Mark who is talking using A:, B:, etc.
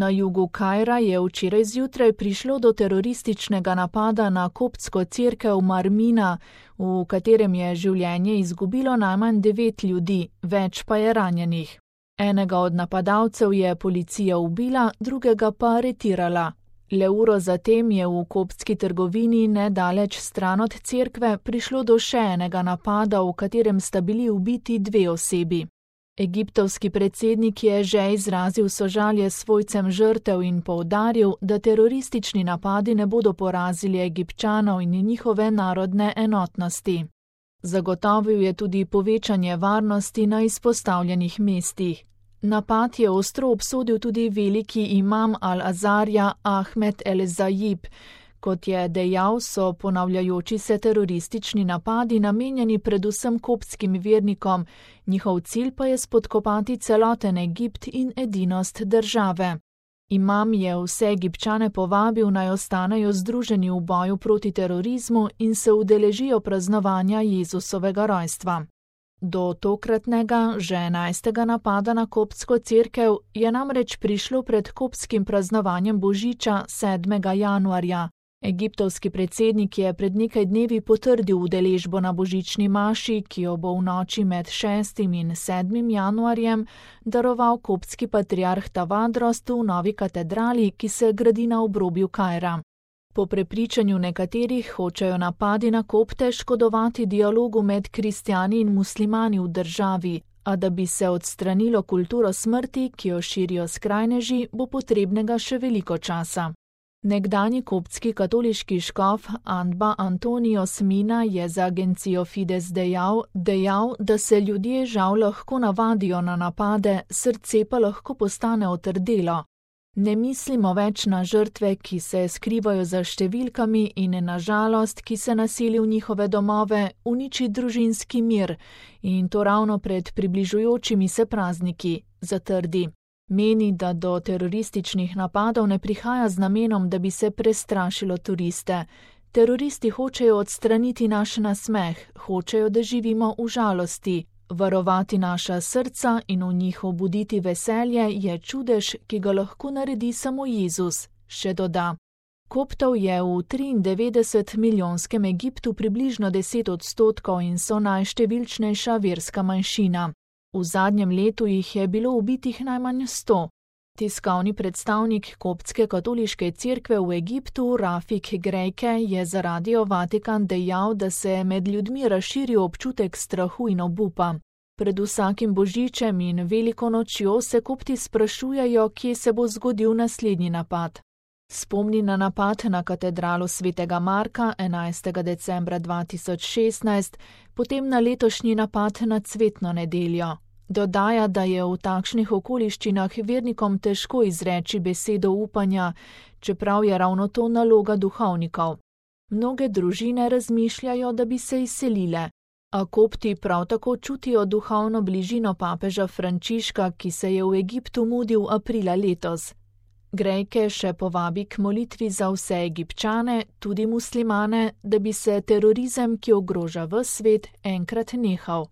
A: Na jugu Kaira je včeraj zjutraj prišlo do terorističnega napada na koptsko cerkev Marmina, v katerem je življenje izgubilo najmanj 9 ljudi, več pa je ranjenih. Enega od napadalcev je policija ubila, drugega pa aretirala. Le uro zatem je v koptski trgovini nedaleč stran od cerkve prišlo do še enega napada, v katerem sta bili ubiti 2 osebi. Egiptovski predsednik je že izrazil sožalje svojcem žrtev in poudaril, da teroristični napadi ne bodo porazili Egipčanov in njihove narodne enotnosti. Zagotovil je tudi povečanje varnosti na izpostavljenih mestih. Napad je ostro obsodil tudi veliki imam Al-Azarja Ahmed El-Zayib. Kot je dejal, so ponavljajoči se teroristični napadi namenjeni predvsem koptskim vernikom, njihov cilj pa je spodkopati celoten Egipt in edinost države. Imam je vse Egipčane povabil, naj ostanejo združeni v boju proti terorizmu in se udeležijo praznovanja Jezusovega rojstva. Do tokratnega, že 11. napada na koptsko cerkev je namreč prišlo pred koptskim praznovanjem Božiča 7. januarja. Egiptovski predsednik je pred nekaj dnevi potrdil udeležbo na božični maši, ki jo bo v noči med 6. in 7. januarjem daroval koptski patriarh Tavadros v novi katedrali, ki se gradi na obrobju Kaira. Po prepričanju nekaterih hočejo napadi na kopte škodovati dialogu med kristjani in muslimani v državi, a da bi se odstranilo kulturo smrti, ki jo širijo skrajneži, bo potrebnega še veliko časa. Nekdanji koptski katoliški škof Anba Antonios Mina je za agencijo Fides dejal, da se ljudje žal lahko navadijo na napade, srce pa lahko postane otrdelo. Ne mislimo več na žrtve, ki se skrivajo za številkami in na žalost, ki se naseli v njihove domove, uniči družinski mir in to ravno pred približujočimi se prazniki, zatrdi. Meni, da do terorističnih napadov ne prihaja z namenom, da bi se prestrašilo turiste. Teroristi hočejo odstraniti naš nasmeh, hočejo, da živimo v žalosti. Varovati naša srca in v njih obuditi veselje je čudež, ki ga lahko naredi samo Jezus, še doda. Koptov je v 93-milijonskem Egiptu približno 10% in so najštevilčnejša verska manjšina. V zadnjem letu jih je bilo ubitih najmanj 100. Tiskovni predstavnik koptske katoliške cerkve v Egiptu, Rafik Grejke, je za Radio Vatikan dejal, da se med ljudmi razširil občutek strahu in obupa. Pred vsakim božičem in veliko nočjo se kopti sprašujejo, kje se bo zgodil naslednji napad. Spomni na napad na katedralo svetega Marka 11. decembra 2016, potem na letošnji napad na cvetno nedeljo. Dodaja, da je v takšnih okoliščinah vernikom težko izreči besedo upanja, čeprav je ravno to naloga duhovnikov. Mnoge družine razmišljajo, da bi se izselile, a kopti prav tako čutijo duhovno bližino papeža Frančiška, ki se je v Egiptu mudil aprila letos. Grejke še povabi k molitvi za vse Egipčane, tudi muslimane, da bi se terorizem, ki ogroža ves svet, enkrat nehal.